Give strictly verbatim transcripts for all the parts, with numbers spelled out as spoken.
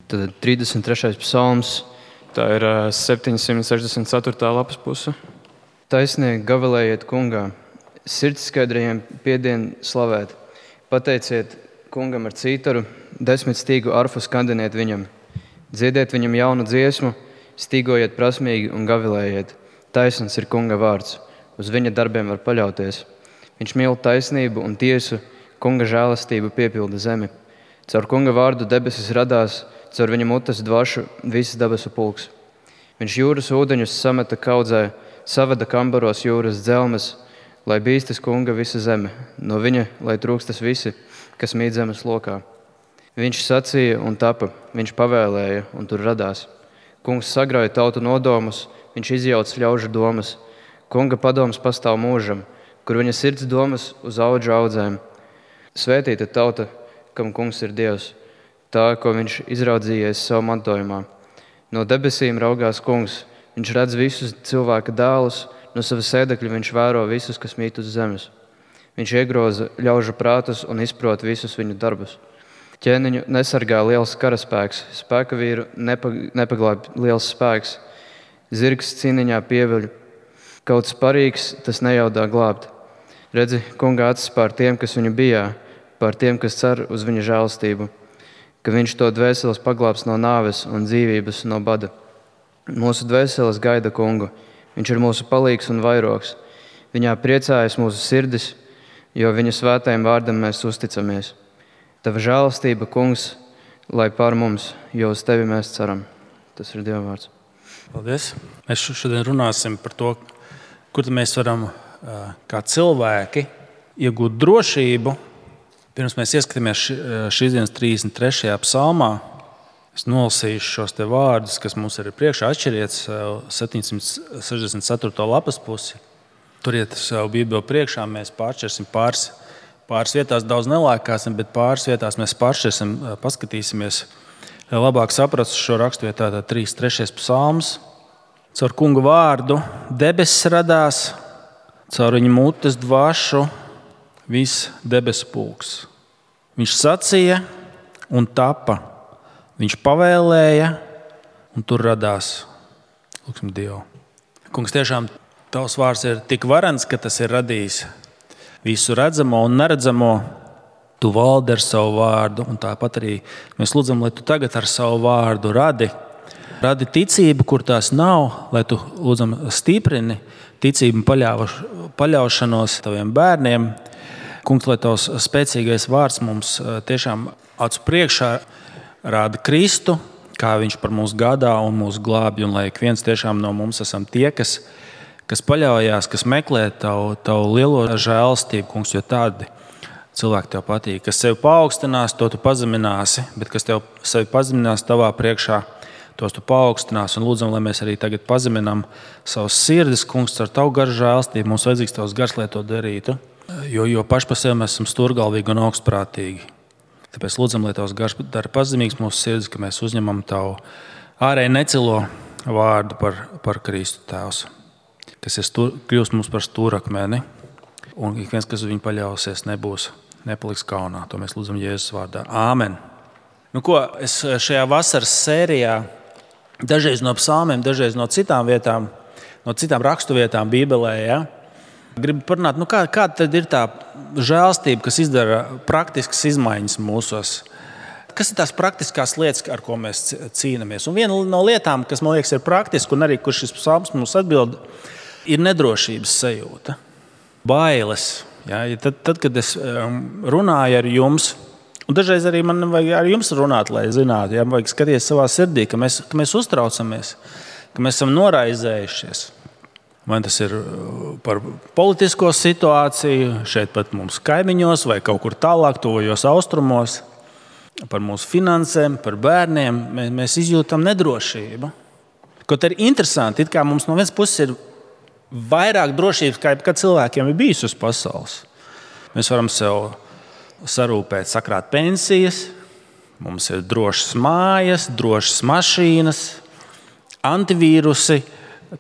Tad trīsdesmit trešais psalms, tā ir septiņsimt sešdesmit ceturtā lapas puse. Taisnieki gavilējiet kungā, sirds skaidrajiem piedien slavēt. Pateiciet kungam ar cītaru, desmit stīgu arfu skandiniet viņam. Dziediet viņam jaunu dziesmu, stīgojiet prasmīgi un gavilējiet. Taisns ir kunga vārds, uz viņa darbiem var paļauties. Viņš mīl taisnību un tiesu, kunga žēlastību piepilda zemi. Caur kunga vārdu debesis radās, caur viņa mutes dvašu visas debesu pulks. Viņš jūras ūdeņus sameta kaudzē, savada kambaros jūras dzelmes, lai bīstas kunga visa zeme, no viņa, lai trūkstas visi, kas mīt zemes lokā. Viņš sacīja un tapa, viņš pavēlēja un tur radās. Kungs sagrauja tautu nodomus, viņš izjauc ļaužu domas. Kunga padoms pastāv mūžam, kur viņa sirds domas uz audžu audzēm. Svētīta tauta, kam kungs ir Dievs, tā, ko viņš izraudzījies savu mantojumā. No debesīm raugās kungs, viņš redz visus cilvēka dēlus, no sava sēdekļa viņš vēro visus, kas mīt uz zemes. Viņš iegroza ļaužu prātus un izprot visus viņu darbus. Ķēniņu nesargā liels karaspēks, spēka vīru nepaglāb liels spēks. Zirgs cīniņā pieveļ, kaut sparīgs tas nejaudā glābt. Redzi, kunga acis pār tiem, kas viņu bijā, pār tiem, kas cer uz viņa žēlastību, ka viņš to dvēseles paglābs no nāves un dzīvības no bada. Mūsu dvēseles gaida kungu, viņš ir mūsu palīgs un vairogs. Viņā priecājas mūsu sirdis, jo viņa svētajam vārdam mēs uzticamies. Tava žēlastība, kungs, lai pār mums, jo uz tevi mēs ceram. Tas ir Dieva vārds. Paldies. Mēs šodien runāsim par to, kur mēs varam kā cilvēki iegūt drošību. Pirms mēs ieskatāmies šīs dienas trīsdesmit trešajā psalmā, es nolasīšu šos te vārdus, kas mums ir priekšā. Atšķiriet septiņsimt sešdesmit ceturto lapas pusi. Turiet savu bībeli priekšā, mēs pāršķirsim pāris, pāris vietās, daudz nelēkāsim, bet pāris vietās mēs pāršķirsim, paskatīsimies, lai labāk saprastu šo rakstu vietā. Tā trīsdesmit trešais psalms. Caur kunga vārdu debesis radās, caur viņa mutes dvašu viss debesu pulks. Viņš sacīja un tapa. Viņš pavēlēja un tur radās. Lūksim Dievu. Kungs, tiešām tavs vārds ir tik varens, ka tas ir radījis visu redzamo un neredzamo. Tu valdi ar savu vārdu, un tāpat arī mēs lūdzam, lai tu tagad ar savu vārdu radi. Radi ticību, kur tās nav, lai tu lūdzam stiprini ticību un paļaušanos taviem bērniem. Kungs, lai tavs spēcīgais vārds mums tiešām acu priekšā rāda Kristu, kā viņš par mums gādā un mūs glābj, un lai ik viens tiešām no mums esam tie, kas, kas paļaujās, kas meklē tavu, tavu lielo žēlastību, kungs, jo tādi cilvēki tev patīk. Kas sevi paaugstinās, to tu pazemināsi, bet kas tev sevi pazeminās tavā priekšā, tos tu paaugstinās. Un lūdzam, lai mēs arī tagad pazeminām savus sirdis, kungs, ar tavu garu žēlastību. Mums vajadzīgs tavs gars, lai to darītu, jo, jo paši par sevi mēs esam stūrgalvīgi un augstprātīgi. Tāpēc lūdzam, lai tavs gars dara pazemīgs mūsu sirdis, ka mēs uzņemam tavu ārēji necilo vārdu par, par Kristu Tēvs, kas ir stūr, kļūst mums par stūrakmeni, un ik viens, kas uz viņu paļausies, nebūs, nepaliks kaunā. To mēs lūdzam Jēzus vārdā. Āmen. Nu ko, es šajā vasaras sērijā dažreiz no psalmiem, dažreiz no citām vietām, no citām rakstu vietām Bībelē, ja? Gribu parunāt, nu kā, kā tad ir tā žēlastība, kas izdara praktiskas izmaiņas mūsos? Kas ir tās praktiskās lietas, ar ko mēs cīnāmies? Un viena no lietām, kas man liekas ir praktiska, un arī kur šis psalms mums atbild, ir nedrošības sajūta. Bailes. Ja? Tad, tad, kad es runāju ar jums, un dažreiz arī man vajag ar jums runāt, lai zinātu, ja? Vajag skaties savā sirdī, ka mēs, ka mēs uztraucamies, ka mēs esam noraizējušies. Vai tas ir par politisko situāciju, šeit pat mums kaimiņos vai kaut kur tālāk, tuvajos austrumos, par mūsu finansēm, par bērniem, mēs izjūtam nedrošību. Kaut arī interesanti, it kā mums no vienas puses ir vairāk drošības, kā jebkad cilvēkiem ir bijis uz pasaules. Mēs varam sev sarūpēt, sakrāt pensijas, mums ir drošas mājas, drošas mašīnas, antivīrusi,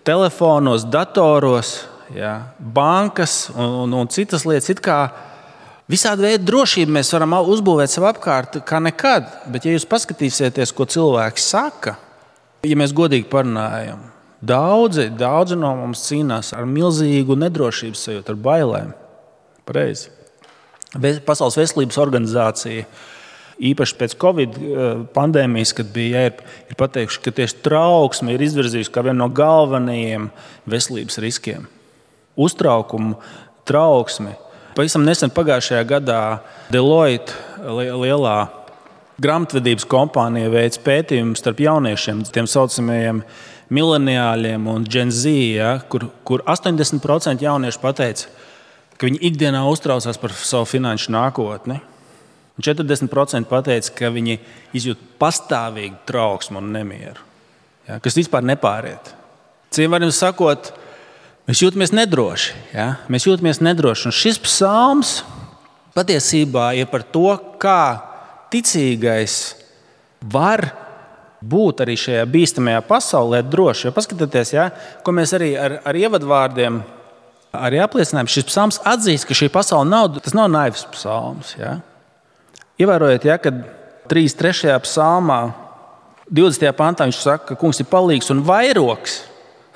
telefonos, datoros, ja, bankas un, un, un citas lietas. It kā Visādi veidi drošību mēs varam uzbūvēt sev apkārt kā nekad, bet ja jūs paskatīsieties, ko cilvēki saka, ja mēs godīgi parunājam, daudzi, daudzi no mums cīnās ar milzīgu nedrošības sajūtu, ar bailēm. Pareizi. Pasaules veselības organizācija, īpaši pēc Covid pandēmijas, kad bija, ja, ir, ir pateikuši, ka tieši trauksme ir izvirzījusi kā vienu no galvenajiem veselības riskiem. Uztraukumu, trauksmi. Pavisam nesen pagājušajā gadā Deloitte lielā grāmatvedības kompānija veic pētījumu starp jauniešiem, tiem saucamajiem mileniāļiem un Gen Z, ja, kur, kur astoņdesmit procenti jaunieši pateica, ka viņi ikdienā uztraucās par savu finanšu nākotni. Un četrdesmit procenti pateica, ka viņi izjūt pastāvīgu trauksmu un nemieru, ja, kas vispār nepāriet. Citiem vārdiem sakot, mēs jūtamies nedroši. Ja? Mēs jūtamies nedroši. Un šis psalms patiesībā ir par to, kā ticīgais var būt arī šajā bīstamajā pasaulē droši. Jo paskatieties, ja, ko mēs arī ar, ar ievadvārdiem arī apliecinājām. Šis psalms atzīst, ka šī pasaule nav, tas nav naivs psalms. Ja? Ievērojiet, ja, kad trīsdesmit trešajā psalmā, divdesmitajā pantā viņš saka, ka kungs ir palīgs un vairogs.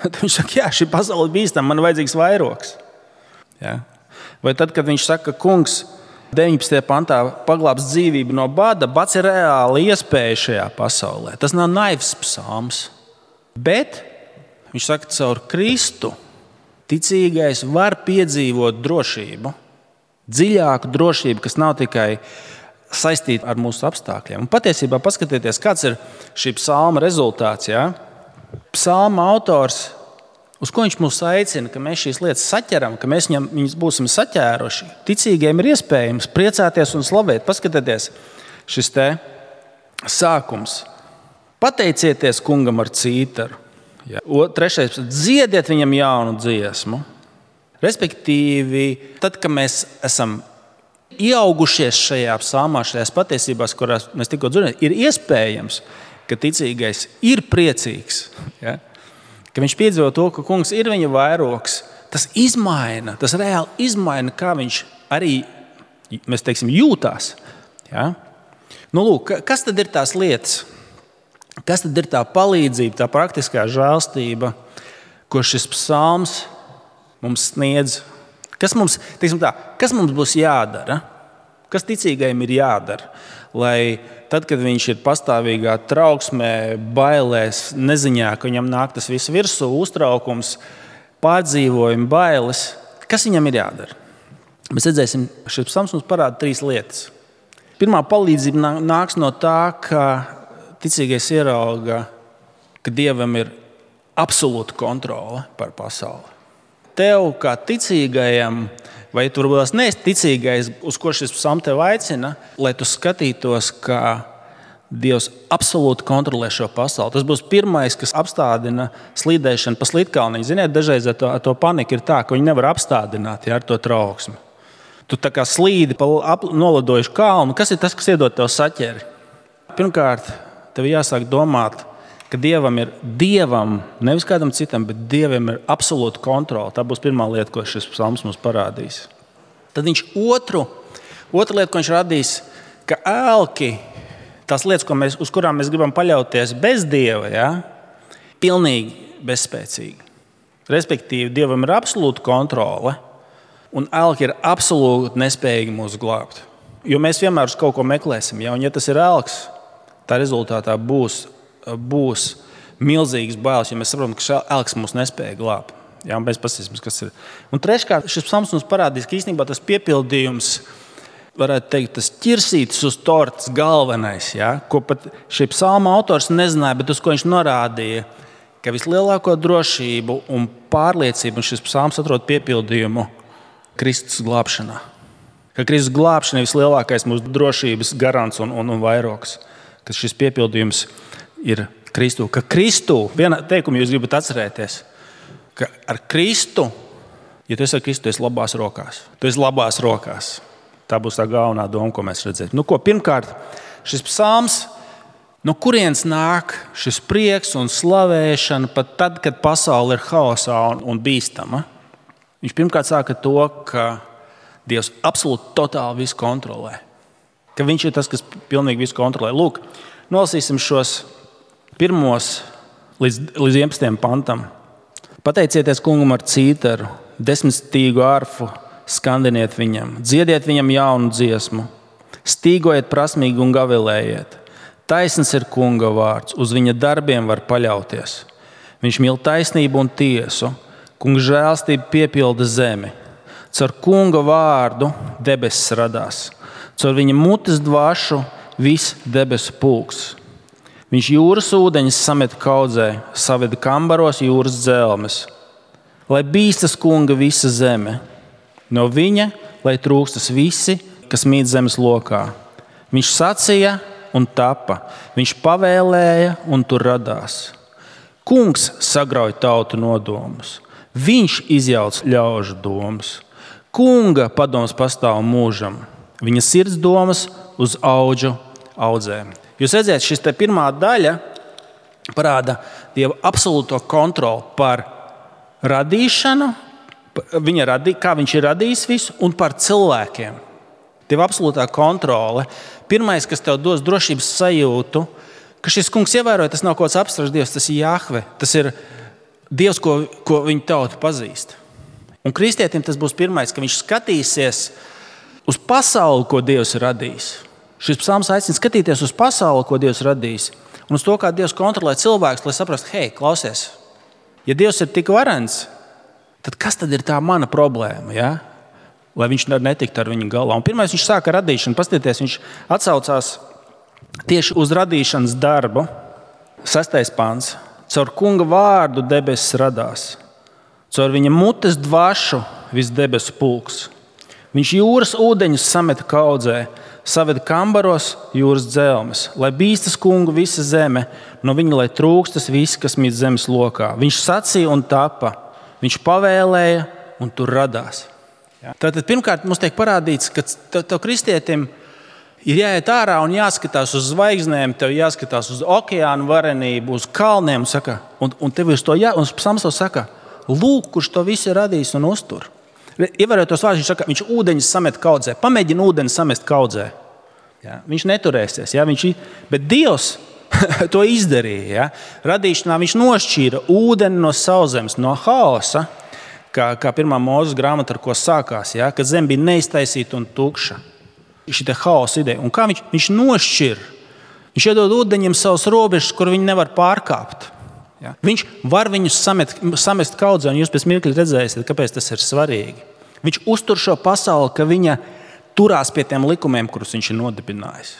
Tad viņš saka, jā, šī pasaule ir bīstama, man ir vajadzīgs vairogs. Ja? Vai tad, kad viņš saka, ka kungs deviņpadsmitajā pantā paglābs dzīvību no bada, bats ir reāli iespēja šajā pasaulē. Tas nav naivs psalms. Bet viņš saka, ka caur Kristu ticīgais var piedzīvot drošību, dziļāku drošību, kas nav tikai saistīta ar mūsu apstākļiem. Un patiesībā paskatieties, kāds ir šī psalma rezultāts. Ja? Psalma autors, uz ko viņš mūs aicina, ka mēs šīs lietas saķeram, ka mēs viņam, viņus būsim saķēruši. Ticīgiem ir iespējams priecāties un slavēt. Paskatieties, šis te sākums. Pateicieties kungam ar cītaru. Ja. Trešais, dziediet viņam jaunu dziesmu. Respektīvi, tad, kad mēs esam ieaugušies šajā psalmā, šajās patiesībās, kurās mēs tikko dzirdējām, ir iespējams, ka ticīgais ir priecīgs, ja? Ka viņš piedzīvo to, ka kungs ir viņa vairogs. Tas izmaina, tas reāli izmaina, kā viņš arī, mēs teiksim, jūtās. Ja? Nu, lūk, kas tad ir tās lietas? Kas tad ir tā palīdzība, tā praktiskā žēlstība, ko šis psalms mums sniedz? Kas mums, teiksim tā, kas mums būs jādara? Kas ticīgajam ir jādara? Lai tad, kad viņš ir pastāvīgā trauksmē, bailēs, neziņā, ka viņam nāk tas viss virsū, uztraukums, pārdzīvojumi, bailes, kas viņam ir jādara? Mēs redzēsim, šis psalms mums parāda trīs lietas. Pirmā palīdzība nāks no tā, ka ticīgais ierauga, ka Dievam ir absolūta kontrole par pasauli. Tev, kā ticīgajam, vai tu varbūt neesi ticīgais, uz ko šis psalms tev aicina, lai tu skatītos, ka Dievs absolūti kontrolē šo pasauli. Tas būs pirmais, kas apstādina slīdēšanu pa slīdkalniņu. Ziniet, dažreiz ar to, ar to paniku ir tā, ka viņi nevar apstādināt, ja, ar to trauksmi. Tu tā kā slīdi pa nolidojušu kalnu. Kas ir tas, kas iedod tev saķeri? Pirmkārt, tev jāsāk domāt, ka Dievam ir Dievam, nevis kādam citam, bet Dievam ir absolūta kontrole. Tā būs pirmā lieta, ko šis psalms mums parādīs. Tad viņš otru, otra lieta, ko viņš radīs, ka ēlki, tās lietas, ko mēs, uz kurām mēs gribam paļauties bez Dieva, ja, pilnīgi bezspēcīgi. Respektīvi, Dievam ir absolūta kontrole, un ēlki ir absolūti nespējīgi mūs glābt. Jo mēs vienmēr uz kaut ko meklēsim, ja, un ja tas ir ēlks, tā rezultātā būs būs milzīgs bailes, jo mēs saprotam, ka šī ēlks mūs nespēja glābt. Jā, un mēs paskatīsimies, kas ir. Un treškārt, šis psalms mums parādīs, ka īstenībā tas piepildījums, varētu teikt, tas ķirsītis uz tortes galvenais, jā, ko pat šī psalma autors nezināja, bet uz ko viņš norādīja, ka vislielāko drošību un pārliecību, un šis psalms atrod piepildījumu Kristus glābšanā. Ka Kristus glābšana ir vislielākais mūsu drošības garants un, un, un vairogs. Ka šis piepildījums ir Kristu. Ka Kristu, viena teikuma jūs gribat atcerēties, ka ar Kristu, ja tu esi ar Kristu, tu esi labās rokās. Tu esi labās rokās. Tā būs tā galvenā doma, ko mēs redzēsim. Nu, ko, pirmkārt, šis psalms, no kurienes nāk šis prieks un slavēšana pat tad, kad pasaule ir haosā un, un bīstama. Viņš pirmkārt sāka to, ka Dievs absolūti totāli visu kontrolē. Ka viņš ir tas, kas pilnīgi visu kontrolē. Lūk, nolasīsim šos pirmos līdz, līdz vienpadsmitajam pantam. Pateicieties kungam ar cītaru, desmitstīgu arfu skandiniet viņam, dziediet viņam jaunu dziesmu, stīgojiet prasmīgi un gavilējiet. Taisns ir kunga vārds, uz viņa darbiem var paļauties. Viņš mīl taisnību un tiesu, kunga žēlstība piepilda zemi. Caur kunga vārdu debesis radās, caur viņa mutes dvašu viss debesu pulks. Viņš jūras ūdeņus samet kaudzē, saveda kambaros jūras dzelmes. Lai bīstas kunga visa zeme, no viņa, lai trūkstas visi, kas mīt zemes lokā. Viņš sacīja un tapa, viņš pavēlēja un tur radās. Kungs sagrauj tautu nodomus, viņš izjauc ļaužu domas. Kunga padoms pastāv mūžam, viņa sirds domas uz audžu audzēm. Jūs redzat, šis te pirmā daļa parāda Dieva absolūto kontroli par radīšanu, viņa radī, kā viņš ir radījis visu, un par cilvēkiem. Dieva absolūtā kontrole. Pirmais, kas tev dos drošības sajūtu, ka šis kungs ievēroja, tas nav kaut kāds abstrakts Dievs, tas ir Jahve. Tas ir Dievs, ko, ko viņa tauta pazīst. Un kristietim tas būs pirmais, ka viņš skatīsies uz pasauli, ko Dievs ir radījis. Šis psalms aicina skatīties uz pasauli, ko Dievs radījis, un uz to, kā Dievs kontrolē cilvēkus, lai saprastu, hei, klausies, ja Dievs ir tik varens, tad kas tad ir tā mana problēma, ja? Lai viņš netiktu ar viņu galā. Un pirmais viņš sāka radīšanu, paskatieties, viņš atsaucās tieši uz radīšanas darbu. Sestais pants. Caur kunga vārdu debesis radās, caur viņa mutes dvašu viss debesu pulks. Viņš jūras ūdeņus sameta kaudzē, saveda kambaros jūras dzelmes, lai bīstas kungu visa zeme, no viņa lai trūkstas visi, kas mīt zemes lokā. Viņš sacīja un tapa, viņš pavēlēja un tur radās. Tātad pirmkārt mums tiek parādīts, ka tev kristietim ir jāiet ārā un jāskatās uz zvaigznēm, tev jāskatās uz okeānu varenību, uz kalniem, saka, un, un tev uz to jā, un psalms saka, lūk, kurš to visu ir radījis un uztur. Ievērojot tos vārdus, viņš saka, viņš ūdeņus samet kaudzē. Pamēģina ūdeni samest kaudzē. Ja? Viņš neturēsies. Ja? Viņš, bet Dievs to izdarīja. Ja? Radīšanā viņš nošķīra ūdeni no sauszemes, no haosa, kā, kā pirmā Mūzes grāmata, ar ko sākās, ja? Kad zeme bija neiztaisīta un tukša. Šī te haosa ideja. Un kā viņš, viņš nošķir? Viņš iedod ūdeņiem savus robežas, kur viņi nevar pārkāpt. Ja? Viņš var viņus samet, samest kaudzē, un jūs pēc mirkļa redzēsiet, kāpēc tas ir svarīgi. Viņš uztur šo pasauli, ka viņa turās pie tiem likumiem, kurus viņš ir nodibinājis.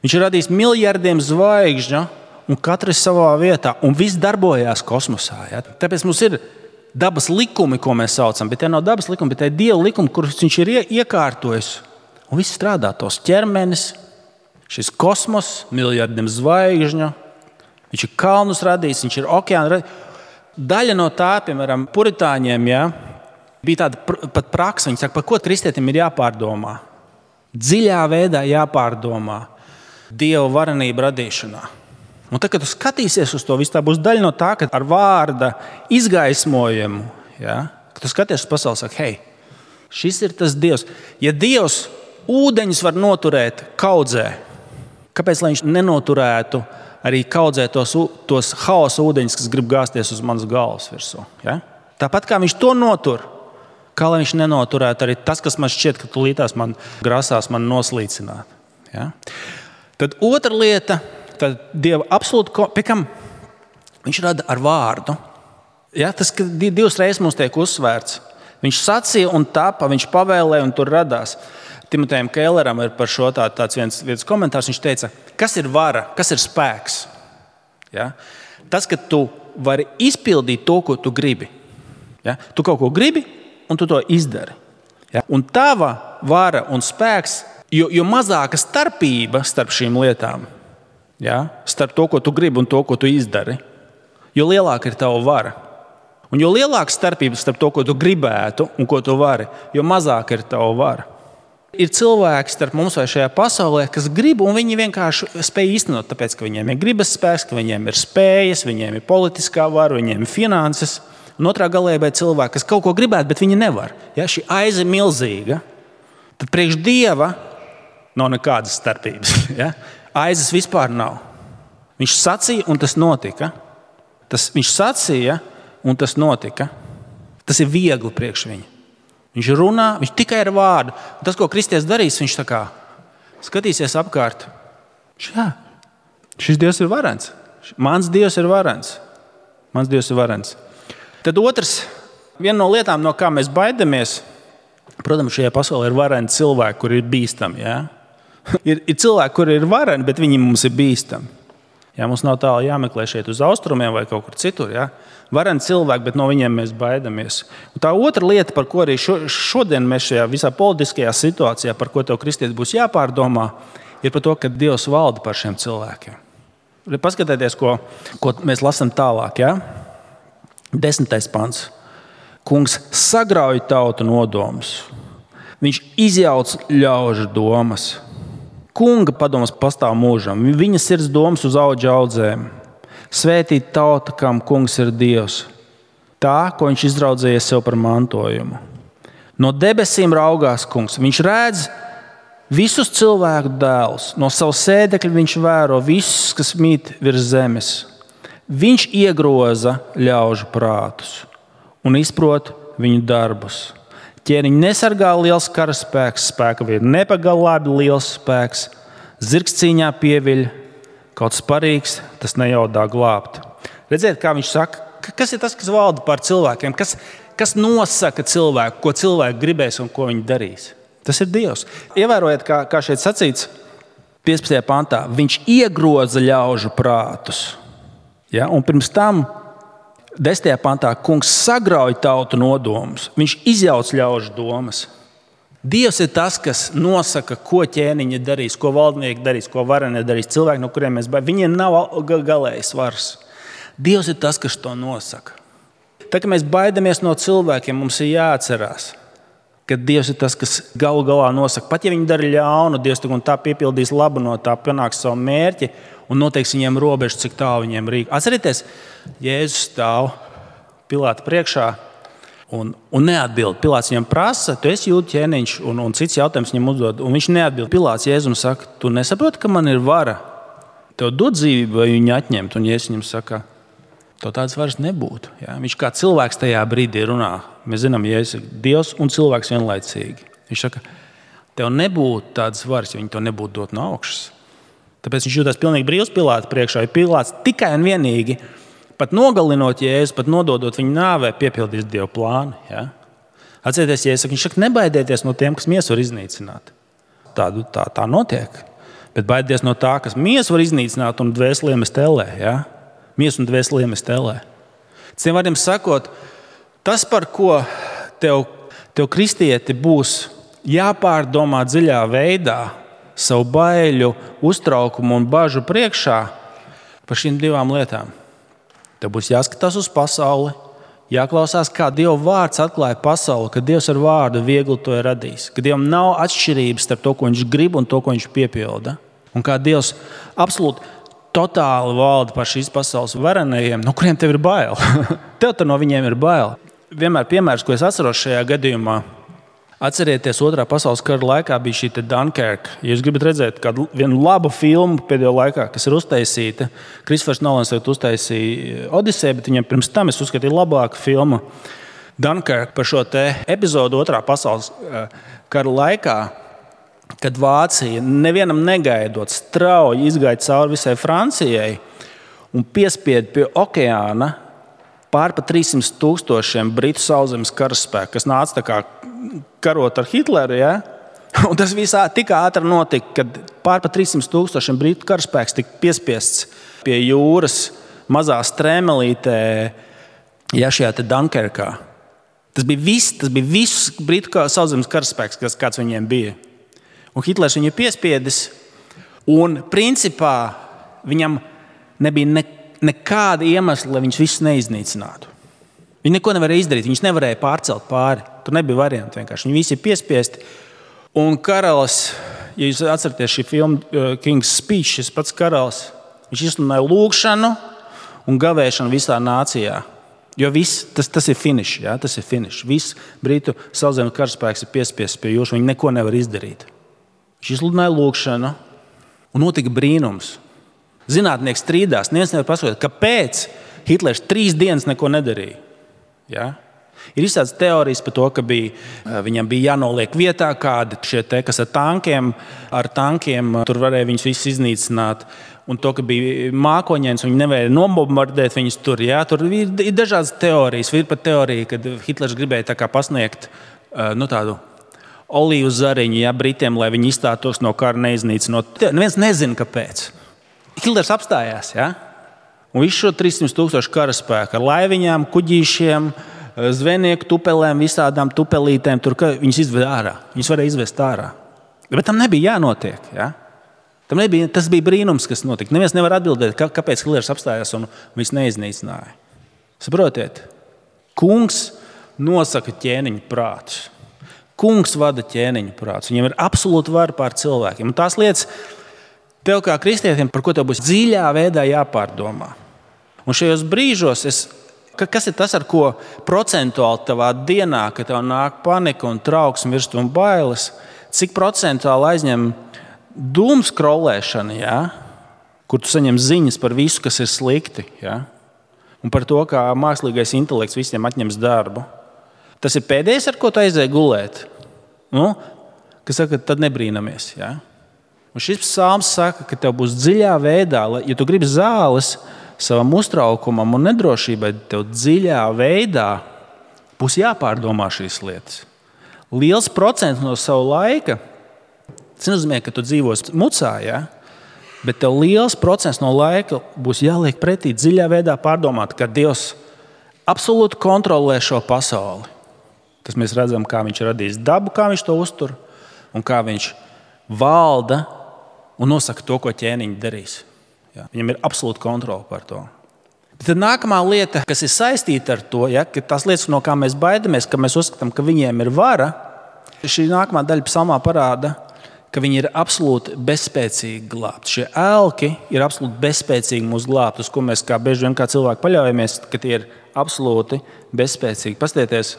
Viņš ir radījis miljardiem zvaigžņu, un katrs savā vietā, un viss darbojās kosmosā. Ja? Tāpēc mums ir dabas likumi, ko mēs saucam, bet tie nav dabas likumi, bet tie ir Dieva likumi, kurus viņš ir iekārtojis. Un viss strādā, tos ķermenis, šis kosmos, miljardiem zvaigžņu. Viņš ir kalnus radījis, viņš ir okeānu radījis. Daļa no tā, piemēram, puritāņiem, ja, bija tāda pr- pat praksa. Viņi saka, par ko kristietim ir jāpārdomā. Dziļā veidā jāpārdomā Dieva varenība radīšanā. Un tad, kad tu skatīsies uz to, viss tā būs daļa no tā, ka ar vārda izgaismojumu, ja, kad tu skaties uz pasauli, saka, hei, šis ir tas Dievs. Ja Dievs ūdeņus var noturēt kaudzē, kāpēc lai viņš nenoturētu arī kaudzē tos, tos haosa ūdeņus, kas grib gāzties uz manas galvas virsū. Ja? Tāpat kā viņš to notur, kā lai viņš nenoturētu arī tas, kas man šķiet, ka tulītās man grasās man noslīcināt. Ja? Tad otra lieta, tad Dieva absolūti, pie kam viņš rada ar vārdu. Ja? Tas, ka divas reizes mums tiek uzsvērts. Viņš sacīja un tapa, viņš pavēlēja un tur radās. Timotejam Kelleram ir par šo tā, tāds viens, viens komentārs. Viņš teica, kas ir vara, kas ir spēks? Ja? Tas, ka tu vari izpildīt to, ko tu gribi. Ja? Tu kaut ko gribi, un tu to izdari. Ja? Un tava vara un spēks, jo, jo mazāka starpība starp šīm lietām, ja? Starp to, ko tu gribi un to, ko tu izdari, jo lielāka ir tava vara. Un jo lielāka starpība starp to, ko tu gribētu un ko tu vari, jo mazāka ir tava vara. Ir cilvēki starp mums vai šajā pasaulē, kas grib, un viņi vienkārši spēj īstenot, tāpēc, ka viņiem ir gribas spēks, ka viņiem ir spējas, viņiem ir politiskā vara, viņiem ir finanses. Un otrā galībā ir cilvēki, kas kaut ko gribētu, bet viņi nevar. Ja, šī aiza ir milzīga. tad priekš Dieva nav nekādas starpības. Ja? Aizes vispār nav. Viņš sacīja, un tas notika. Tas, viņš sacīja, un tas notika. Tas ir viegli priekš viņa. Viņš runā, viņš tikai ar vārdu. Un tas, ko kristietis darīs, viņš tā kā skatīsies apkārt. Jā, šis Dievs ir varens. Mans Dievs ir varens. Mans Dievs ir varens. Tad otrs, viena no lietām, no kā mēs baidamies, protams, šajā pasaulē ir vareni cilvēki, kuri ir bīstami. Ja? ir, ir cilvēki, kuri ir vareni, bet viņi mums ir bīstami. Ja? Mums nav tālu jāmeklē šeit uz austrumiem vai kaut kur citur. Ja? Vareni cilvēki, bet no viņiem mēs baidamies. Un tā otra lieta, par ko arī šo, šodien mēs šajā visā politiskajā situācijā, par ko tev kristietis būs jāpārdomā, ir par to, ka Dievs valda par šiem cilvēkiem. Paskatieties, ko, ko mēs lasām tālāk. Ja? Desmitais pants. Kungs sagrauj tautu nodomus. Viņš izjauc ļaužu domas. Kunga padomas pastāv mūžam. Viņa sirds domas uz audžu audzēm. Svētīt tauta, kam kungs ir Dievs. Tā, ko viņš izraudzējies sev par mantojumu. No debesīm raugās kungs. Viņš redz visus cilvēku dēlus. No savu sēdekļa viņš vēro visus, kas mīt virs zemes. Viņš iegroza ļaužu prātus un izprot viņu darbus. Ķēniņu nesargā liels karaspēks, spēka vīri nepagalābi liels spēks. Zirgs cīņā pieviļ, kaut sparīgs, tas nejaudā glābt. Redziet, kā viņš saka, kas ir tas, kas valda pār cilvēkiem, kas, kas nosaka cilvēku, ko cilvēki gribēs un ko viņi darīs. Tas ir Dievs. Ievērojiet, kā, kā šeit sacīts piecpadsmitajā pantā. Viņš iegroza ļaužu prātus. Ja? Un pirms tam desmitajā pantā kungs sagrauj tautu nodomus. Viņš izjauc ļaužu domas. Dievs ir tas, kas nosaka, ko ķēniņi darīs, ko valdnieki darīs, ko varenie darīs. Cilvēki, no kuriem mēs baidāmies, viņiem nav galējs svars. Dievs ir tas, kas to nosaka. Tā kā mēs baidamies no cilvēkiem, mums ir jāatcerās, ka Dievs ir tas, kas galu galā nosaka. Pat ja viņi dara ļaunu, Dievs un tā piepildīs labu no tā, panāks savu mērķi un noteiks viņiem robežu, cik tālu viņiem rīk. Atcerieties, Jēzus stāv Pilāta priekšā un, un neatbild. Pilāts viņam prasa, tu esi Jūdu ķēniņš, un, un cits jautājums viņam uzdod. Un viņš neatbild. Pilāts Jēzum saka, tu nesaproti, ka man ir vara? Tev dod dzīvību vai viņu atņemt? Un Jēzus viņam saka, tev tādas varas nebūtu. Ja? Viņš kā cilvēks tajā brīdī runā. Mēs zinām, ja Jēzus ir Dievs un cilvēks vienlaicīgi. Viņš saka, tev nebūtu tādas varas, ja viņi to nebūtu dot no augšas. Tāpēc viņš jūtas pilnīgi brīvs Pilāta priekšā. Ja Pilāts tikai un vienīgi, pat nogalinot Jēzu, pat nododot viņu nāvē, piepildīs Dieva plānu. Ja? Atcerieties, Jēzus saka, viņš saka, nebaidieties no tiem, kas miesu var iznīcināt. Tā, tā, tā notiek. Bet baidieties no tā, kas miesu var iznīcināt un dvēseliem stelē. Ja? Miesu un dvēseliem stelē. Citiem vārdiem sakot, tas, par ko tev, tev kristieti būs jāpārdomā dziļā veidā, savu baiļu, uztraukumu un bažu priekšā par šīm divām lietām. Tev būs jāskatās uz pasauli, jāklausās, kā Dieva vārds atklāja pasauli, ka Dievs ar vārdu viegli to ir radījis, ka Dievam nav atšķirības starp to, ko viņš grib un to, ko viņš piepilda. Un kā Dievs absolūti totāli valda par šīs pasaules varenajiem, no kuriem tev ir bail. Tev tur no viņiem ir bail. Vienmēr piemērs, ko es atceros šajā gadījumā, atcerieties, otrā pasaules kara laikā bija šī Dunkerka. Ja jūs gribat redzēt kādu vienu labu filmu pēdējo laikā, kas ir uztaisīta, Kristofers Nolans uztaisīja Odiseju, bet viņam pirms tam es uzskatīju labāku filmu Dunkerka par šo te epizodu otrā pasaules kara laikā, kad Vācija nevienam negaidot strauji izgāja cauri visai Francijai un piespieda pie okeāna pār pa trīs simti tūkstošiem britu sauszemes karaspēku, kas nāca tā kā karot ar Hitleru. Ja? Un tas visā tik ātri notika, kad pār pa trīs simti tūkstošiem britu karaspēks tika piespiests pie jūras mazā strēmelītē, ja šajā te Dunkerkā. Tas bija viss, tas bija viss britu sauszemes karaspēks, kas kāds viņiem bija. Un Hitlers viņu piespiedis, un principā viņam nebija ne, nekāda iemesla, lai viņš visus neiznīcinātu. Viņi neko nevarēja izdarīt, viņš nevarēja pārcelt pāri. Tur nebija varianti vienkārši. Viņi visi ir piespiesti. Un karalis, ja jūs atceraties šī filma King's Speech, šis pats karalis, viņš izsludināja lūgšanu un gavēšanu visā nācijā. Jo viss, tas, tas ir finish, ja? Tas ir finish. Viss Britu sauszemes karaspēks ir piespiests pie jūras, viņi neko nevar izdarīt. Viņš izsludināja lūgšanu, un notika brīnums. Zinātnieks strīdās, neviens nevar paskaidrot, kāpēc Hitlers trīs dienas neko nedarīja. Ja? Ir izstāsts teorijas par to, ka bija, viņam bija jānoliek vietā kādi šie te, kas ar tankiem, ar tankiem, tur varēja viņus visus iznīcināt. Un to, ka bija mākoņains, viņi nevarēja nobombardēt viņus tur. Ja? Tur ir, ir dažādas teorijas. Ir pat teorija, kad Hitlers gribēja tā kā pasniegt nu, tādu olīvu zariņu ja, Britiem, lai viņi izstātos no kara neiznīcinot. Neviens nezina, kāpēc. Hitlers apstājās. Ja? Un visu šo trīssimt tūkstošu karaspēku ar laiviņām, kuģīšiem, zvejnieku tupelēm, visādām tupelītēm, tur viņus izved ārā. Viņus varēja izvest ārā. Bet tam nebija jānotiek. Ja? Tam nebija, tas bija brīnums, kas notika. Neviens nevar atbildēt, kā, kāpēc Hitlers apstājās un viņus neiznīcināja. Saprotiet? Kungs nosaka ķēniņu prātus. Kungs vada ķēniņu prātus. Viņam ir absolūta vara pār cilvēkiem. Un tās lietas tev kā kristietim, par ko tev būs dziļā veidā jāpārdomā. Un šajos brīžos es kas ir tas, ar ko procentuāli tavā dienā, kad tev nāk panika un trauksme, virsma un bailes, cik procentuāli aizņem dūmu skrolēšana, ja? Kur tu saņem ziņas par visu, kas ir slikti, ja? Un par to, kā mākslīgais intelekts visiem atņems darbu. Tas ir pēdējais, ar ko tu aizēji gulēt. Nu, kas saka, tad nebrīnamies. Ja? Un šis psalms saka, ka tev būs dziļā veidā, ja tu gribi zāles, savam uztraukumam un nedrošībai, tev dziļā veidā būs jāpārdomā šīs lietas. Liels procents no savu laika, tas nozīmē, ka tu dzīvos mucā, ja? Bet tev liels procents no laika būs jāliek pretī dziļā veidā pārdomāt, ka Dievs absolūti kontrolē šo pasauli. Tas mēs redzam, kā viņš radīs dabu, kā viņš to uztur un kā viņš valda un nosaka to, ko ķēniņi darīs. Ja, viņam ir absolūta kontrole par to. Bet tad nākamā lieta, kas ir saistīta ar to, ja, ka tās lietas, no kā mēs baidamies, ka mēs uzskatām, ka viņiem ir vara, šī nākamā daļa psalmā parāda, ka viņi ir absolūti bezspēcīgi glābt. Šie elki ir absolūti bezspēcīgi mūs glābt, uz ko mēs kā bieži vien kā cilvēki paļaujamies, ka tie ir absolūti bezspēcīgi. Pastieties,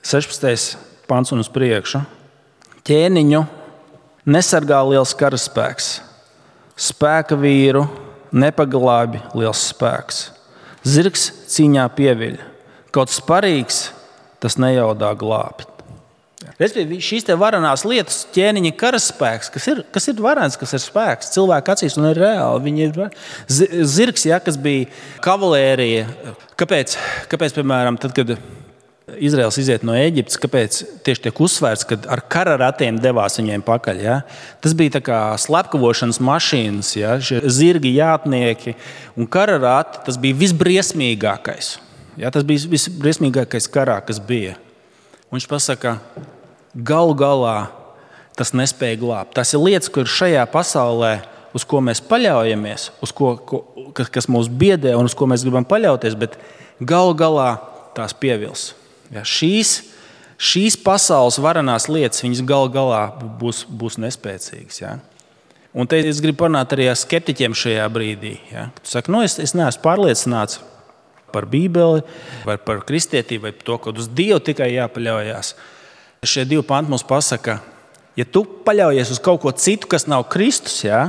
sešpadsmitais pants un uz priekšu. Ķēniņu nesargā liels karaspēks. Spēka vīru nepaglābi liels spēks. Zirgs cīņā pieviļ. Kaut sparīgs, tas nejaudā glābt. Respektīvi, šīs te varanās lietas, ķēniņa karaspēks, kas ir, kas ir varens, kas ir spēks, cilvēka acīs un ir reāli. Viņi ir zirgs, ja, kas bija kavalērija. Kāpēc, kāpēc, piemēram, tad, kad Izraels iziet no Ēģiptes, kāpēc tieši tiek uzsvērts, kad ar kararatiem devās viņiem pakaļ. Ja? Tas bija tā kā slepkavošanas mašīnas, ja? Šie zirgi, jātnieki un kararati, tas bija visbriesmīgākais. Ja? Tas bija visbriesmīgākais karā, kas bija. Un viņš pasaka, galu galā tas nespēja glābt. Tas ir lietas, kur šajā pasaulē, uz ko mēs paļaujamies, uz ko, ko, kas mūs biedē un uz ko mēs gribam paļauties, bet galu galā tās pievils. Ja, šīs, šīs pasaules varanās lietas, viņas gal galā būs, būs nespēcīgas. Ja. Un te es gribu parunāt arī ar skeptiķiem šajā brīdī. Ja. Tu saki, nu, es, es neesmu pārliecināts par Bībeli, vai par kristietību, vai par to, ka uz Dievu tikai jāpaļaujas. Šie divi panti mums pasaka, ja tu paļaujies uz kaut ko citu, kas nav Kristus, ja,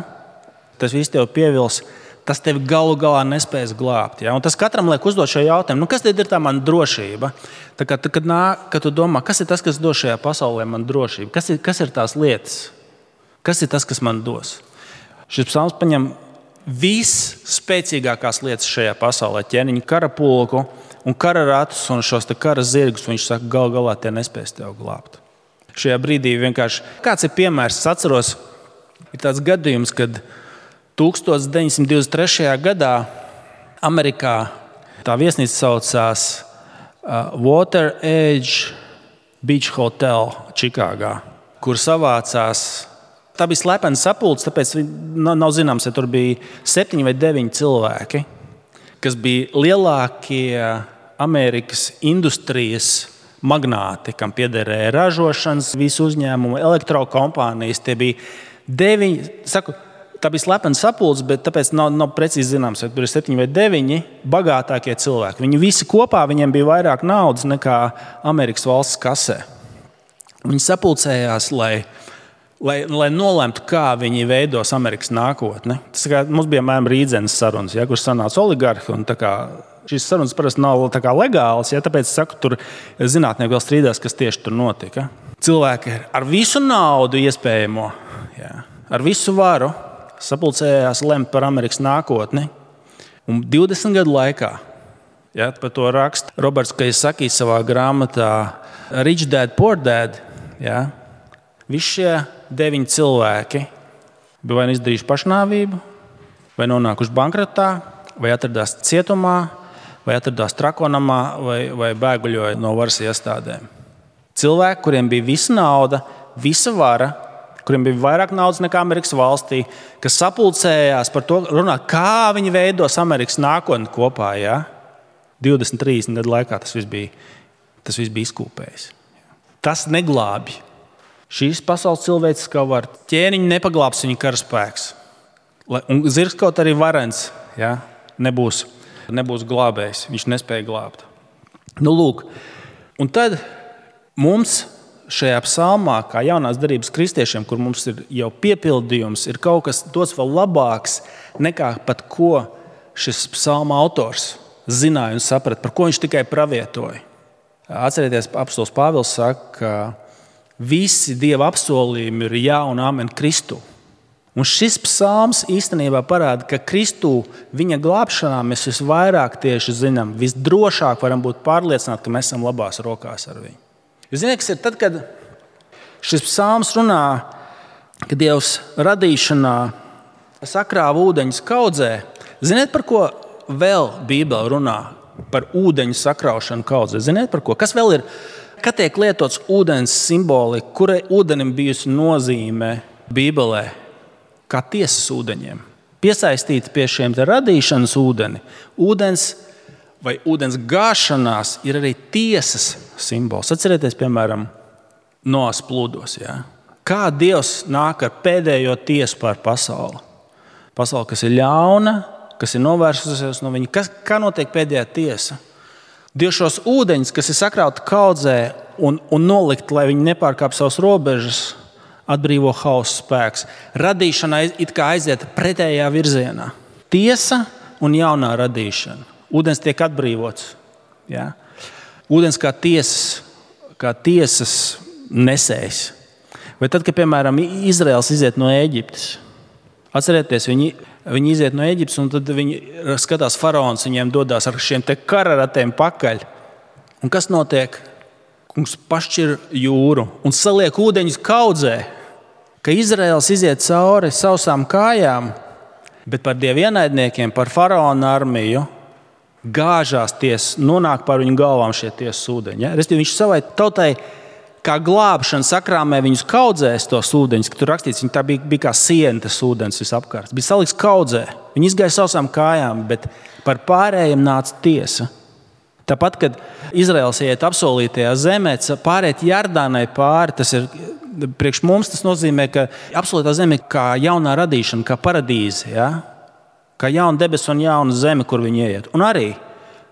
tas viss tev pievils, tas tevi galu galā nespēs glābt. Ja? Un tas katram liek uzdot šo jautājumu, nu, kas tad ir tā mana drošība? Tā kā, kad, nāk, kad tu domā, kas ir tas, kas dos šajā pasaulē man drošību? Kas ir, kas ir tās lietas? Kas ir tas, kas man dos? Šis psalms paņem visspēcīgākās lietas šajā pasaulē, ķēniņa karapulku un kararatus un šos te kara zirgus. Viņš saka, galu galā tie nespēs tev glābt. Šajā brīdī vienkārši, kāds ir piemērs, es atceros, ir tāds gadījums, kad tūkstoš deviņsimt divdesmit trešajā gadā Amerikā tā viesnīca saucās uh, Water Edge Beach Hotel Čikāgā, kur savācās. Tā bija slepena sapulce, tāpēc nav, nav zināms, ja tur bija septiņi vai deviņi cilvēki, kas bija lielākie Amerikas industrijas magnāti, kam piederēja ražošanas, visu uzņēmumu, elektrokompānijas. Tie bija deviņi, saku, tā bija slepena sapulce, bet tāpēc nav, nav precīzi zināms, vai tur ir septiņi vai deviņi bagātākie cilvēki. Viņi visi kopā, viņiem bija vairāk naudas nekā Amerikas valsts kasē. Viņi sapulcējās, lai, lai, lai nolemtu, kā viņi veidos Amerikas nākotni. Tas kā mums bija mēram Rīdzenes sarunas, ja, kur sanāca oligarhi. Un tā kā šīs sarunas parasti nav tā kā legālas, ja, tāpēc saku, tur zinātnieki vēl strīdās, kas tieši tur notika. Cilvēki ar visu naudu iespējamo, ja, ar visu varu sapulcējās lemt par Amerikas nākotni. Un divdesmit gadu laikā, ja, par to raksta Roberts Kiyosaki savā grāmatā Rich Dad, Poor Dad, ja, visi šie deviņi cilvēki bija vai izdarījuši pašnāvību, vai nonākuši bankrotā, vai atradās cietumā, vai atradās trakonamā, vai, vai bēguļoja no varas iestādēm. Cilvēki, kuriem bija visa nauda, visa vara, kuriem bija vairāk naudas nekā Amerikas valstī, kas sapulcējās par to runāt, kā viņi veidos Amerikas nākotni kopā. Ja? divdesmit, trīsdesmit gadu laikā tas viss bija, tas viss bija izkūpējis. Tas neglābj. Šīs pasaules cilvēces kā var ķēniņu nepaglābs viņa karaspēks. Un zirgs kaut arī varens, ja? nebūs, nebūs glābējs. Viņš nespēja glābt. Nu, lūk. Un tad mums šajā psalmā, kā jaunās darības kristiešiem, kur mums ir jau piepildījums, ir kaut kas dots vēl labāks nekā pat ko šis psalma autors zināja un saprata, par ko viņš tikai pravietoja. Atcerieties, apostols Pāvils saka, ka visi Dieva apsolījumi ir jā un amen Kristu. Un šis psalms īstenībā parāda, ka Kristu viņa glābšanā mēs visvairāk tieši zinām, visdrošāk varam būt pārliecināti, ka mēs esam labās rokās ar viņu. Jūs zināt, kas ir tad, kad šis psalms runā, ka Dievs radīšanā sakrāva ūdeņus kaudzē. Ziniet, par ko vēl Bībele runā? Par ūdeņu sakraušanu kaudzē. Ziniet, par ko? Kas vēl ir? Kad tiek lietots ūdens simbolika, kurai ūdenim bijusi nozīme Bībelē? Kā tiesas ūdeņiem. Piesaistīti pie šiem te radīšanas ūdeni. Ūdens vai ūdens gāšanās ir arī tiesas simbols. Atcerieties, piemēram, Noas plūdos. Ja? Kā Dievs nāk ar pēdējo tiesu pār pasauli? Pasauli, kas ir ļauna, kas ir novērsusies no viņa. Kas, kā notiek pēdējā tiesa? Dievs šos ūdeņus, kas ir sakrauti kaudzē un, un nolikt, lai viņi nepārkāp savas robežas, atbrīvo hausa spēks. Radīšana it kā aiziet pretējā virzienā. Tiesa un jaunā radīšana. Ūdens tiek atbrīvots. Ja? Ūdens kā tiesas, kā tiesas nesējs. Vai tad, kad, piemēram, Izraels iziet no Ēģiptes, atcerieties, viņi, viņi iziet no Ēģiptes, un tad viņi skatās, faraons viņiem dodās ar šiem te kararatiem pakaļ. Un kas notiek? Kungs pašķir jūru un saliek ūdeņus kaudzē, ka Izraels iziet cauri sausām kājām, bet par Dieva ienaidniekiem, par faraona armiju gāžās tiesas, nonāk par viņu galvām šie tiesas ūdeņi. Ja? Restīvi, viņš savai tautai kā glābšana sakrāmē viņus kaudzēs tos ūdeņus, ka tur rakstīts, viņi tā bija, bija kā siena tas ūdens visapkārt. Bija salikts kaudzē. Viņi izgāja sausām kājām, bet par pārējiem nāca tiesa. Tāpat, kad Izraels iet apsolītajā zemē, pārēt Jardānai pāri, tas ir priekš mums, tas nozīmē, ka apsolītā zeme ir kā jaunā radīšana, kā paradīze, ja? Kā jauna debesu un jauna zeme, kur viņi ieiet. Un arī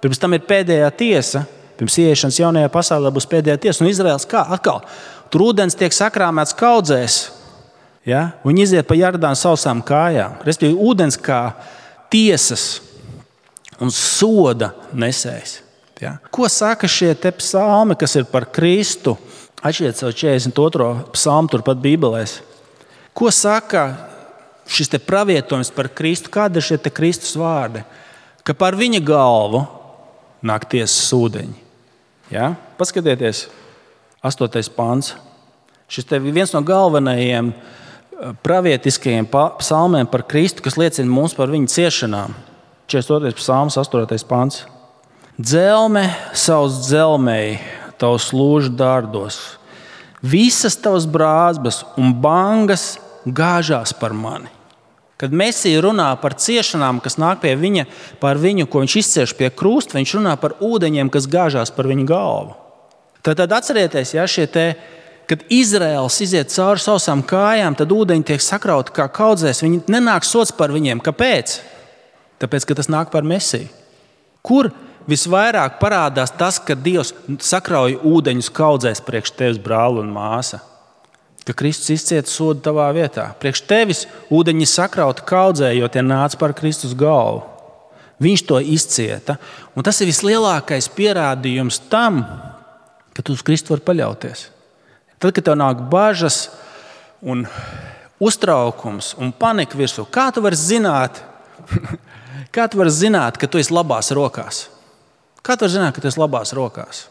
pirms tam ir pēdējā tiesa, pirms ieiešanas jaunajā pasaulē būs pēdējā tiesa. Un Izraels kā? Atkal, tur ūdens tiek sakrāmēts kaudzēs, ja? Viņi iziet pa Jardānu sausām kājām. Respektīvi, ūdens kā tiesas un soda nesējs. Ja? Ko saka šie te psalmi, kas ir par Kristu? Atšķiet savu četrdesmit otro psalmu turpat Bībelēs. Ko saka šis te pravietojums par Kristu? Kādi ir šie te Kristus vārdi? Ka par viņa galvu nāk tiesas ūdeņi. Ja? Paskatieties, astotais pants. Šis te viens no galvenajiem pravietiskajiem psalmiem par Kristu, kas liecina mums par viņa ciešanām. četrdesmit otrais psalms, astotais pants. Dzelme savus dzelmēji, tavs lūžu dārdos. Visas tavas brāzbas un bangas gāžās par mani. Kad Mēsija runā par ciešanām, kas nāk pie viņa, par viņu, ko viņš izcieš pie krusta, viņš runā par ūdeņiem, kas gāžās par viņa galvu. Tad, tad atcerieties, ja šie te kad Izraels iziet cauri sausām kājām, tad ūdeņi tiek sakrauti kā kaudzēs. Viņi nenāk sots par viņiem. Kāpēc? Tāpēc, ka tas nāk par Mesiju. Kur visvairāk parādās tas, ka Dievs sakrauj ūdeņus kaudzēs priekš tevis, brāli un māsa? Ka Kristus izcieta sodu tavā vietā. Priekš tevis ūdeņi sakrauti kaudzē, jo tie nāca par Kristus galvu. Viņš to izcieta. Un tas ir vislielākais pierādījums tam, ka tu uz Kristu vari paļauties. Tad, kad tev nāk bažas un uztraukums un panika virsū, kā tu vari zināt, kā tu vari zināt, ka tu esi labās rokās? Kā tu vari zināt, ka tu esi labās rokās?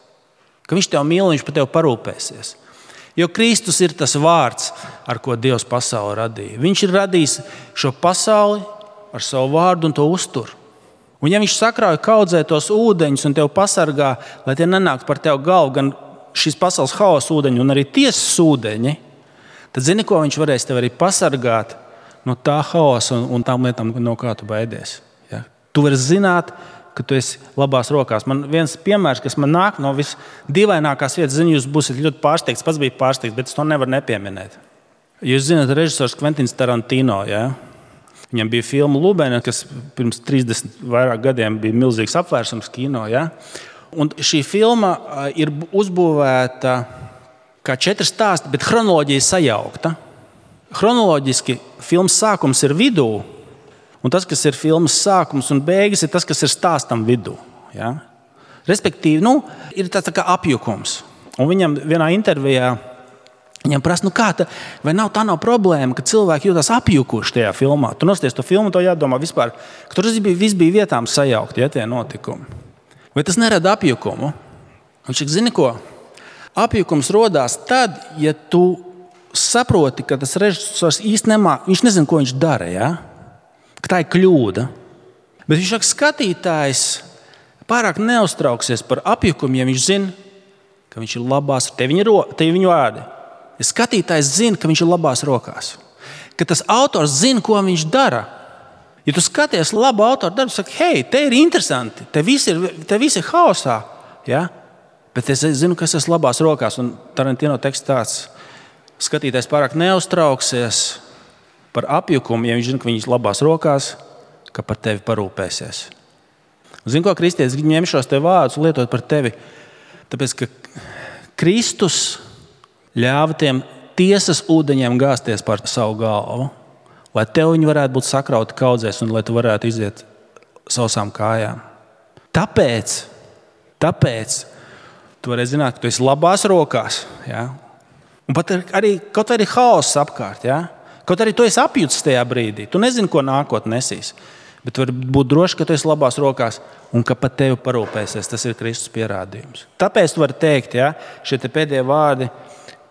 Ka viņš tev mīl, viņš par tevi parūpēsies. Jo Kristus ir tas vārds, ar ko Dievs pasauli radīja. Viņš ir radījis šo pasauli ar savu vārdu un to uztur. Un ja viņš sakrauj kaudzē tos ūdeņus un tev pasargā, lai tie nenāk par tev galvu, gan šīs pasaules haosa ūdeņi un arī tiesas ūdeņi, tad zini, ko viņš varēs tev arī pasargāt no tā haosa un, un tām lietām, no kā tu baidies. Ja? Tu vari zināt, ka tu esi labās rokās. Man viens piemērs, kas man nāk no visdīvainākās vietas, zinu, jūs būsiet ļoti pārsteigts, pats bija pārsteigts, bet es to nevaru nepieminēt. Jūs zināt, režisors Kventins Tarantino, ja? Viņam bija filma Lubēna, kas pirms trīsdesmit vairāk gadiem bija milzīgs apvērsums kino. Ja? Un šī filma ir uzbūvēta kā četri stāsti, bet chronoloģija sajaukta. Chronoloģiski filmas sākums ir vidū, un tas, kas ir filmas sākums un beigas, ir tas, kas ir stāstam vidū. Ja? Respektīvi, nu, ir tāds tā kā apjukums. Un viņam vienā intervijā viņam prasa, nu kā tā, vai nav tā nav problēma, ka cilvēki jūtas apjukuši tajā filmā. Tu nosties to filmu, to jādomā vispār, ka tur viss bija vietām sajaukt, ja, tie notikumi. Vai tas nerada apjukumu? Viņš saka, zini ko? Apjukums rodās tad, ja tu saproti, ka tas režisors īsti nemā, viņš nezina, ko viņš dara, ja? Ka tā ir kļūda. Bet viņš saka, skatītājs pārāk neuztrauksies par apjukumu, ja viņš zina, ka viņš ir labās, te viņa, te viņa vārdi. Ja skatītājs zina, ka viņš ir labās rokās. Ka tas autors zina, ko viņš dara. Ja tu skaties labu autoru darbu, saki, hei, te ir interesanti, te viss ir, te viss ir haosā. Ja? Bet es zinu, ka es esmu labās rokās. Un Tarantino teksts tāds, skatītājs pārāk neuztrauksies par apjukumu, ja viņš zina, ka viņš ir labās rokās, ka par tevi parūpēsies. Un zini, ko kristietis ņem šos te vārdus un lietot par tevi? Tāpēc, ka Kristus ļāva tiem tiesas ūdeņiem gāzties par savu galvu, lai tev viņi varētu būt sakrauti kaudzēs un lai tu varētu iziet sausām kājām. Tāpēc, tāpēc tu vari zināt, ka tu esi labās rokās. Ja? Un pat arī, kaut arī haoss apkārt. Ja? Kaut arī tu esi apjutis tajā brīdī. Tu nezini, ko nākotnē nesīs. Bet tu vari būt droši, ka tu esi labās rokās un ka pat tevi parūpēsies. Tas ir Kristus pierādījums. Tāpēc tu vari teikt, ja, šie te pēdējie vārdi,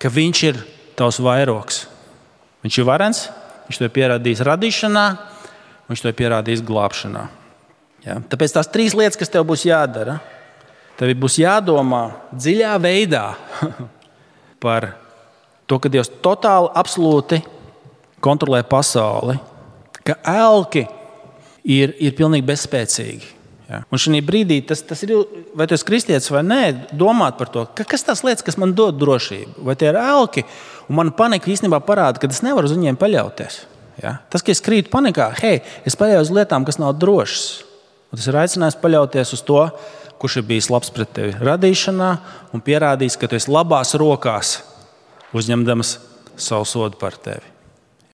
ka viņš ir tavs vairogs. Viņš ir varens, viņš to ir pierādījis radīšanā, viņš to ir pierādījis glābšanā. Ja? Tāpēc tās trīs lietas, kas tev būs jādara, tev būs jādomā dziļā veidā par to, ka Dievs totāli, absolūti kontrolē pasauli, ka elki ir, ir pilnīgi bezspēcīgi. Ja? Un šī brīdī, tas, tas ir, vai tu esi kristietis vai nē, domāt par to, ka, kas tās lietas, kas man dod drošību, vai tie ir elki, un man panika īstenībā parāda, ka es nevaru uz viņiem paļauties. Ja? Tas, ka es krītu panikā, hei, es paļaujos uz lietām, kas nav drošas. Un tas ir aicinājums paļauties uz to, kurš ir bijis labs pret tevi radīšanā un pierādījis, ka tu esi labās rokās, uzņemdams savu sodu par tevi.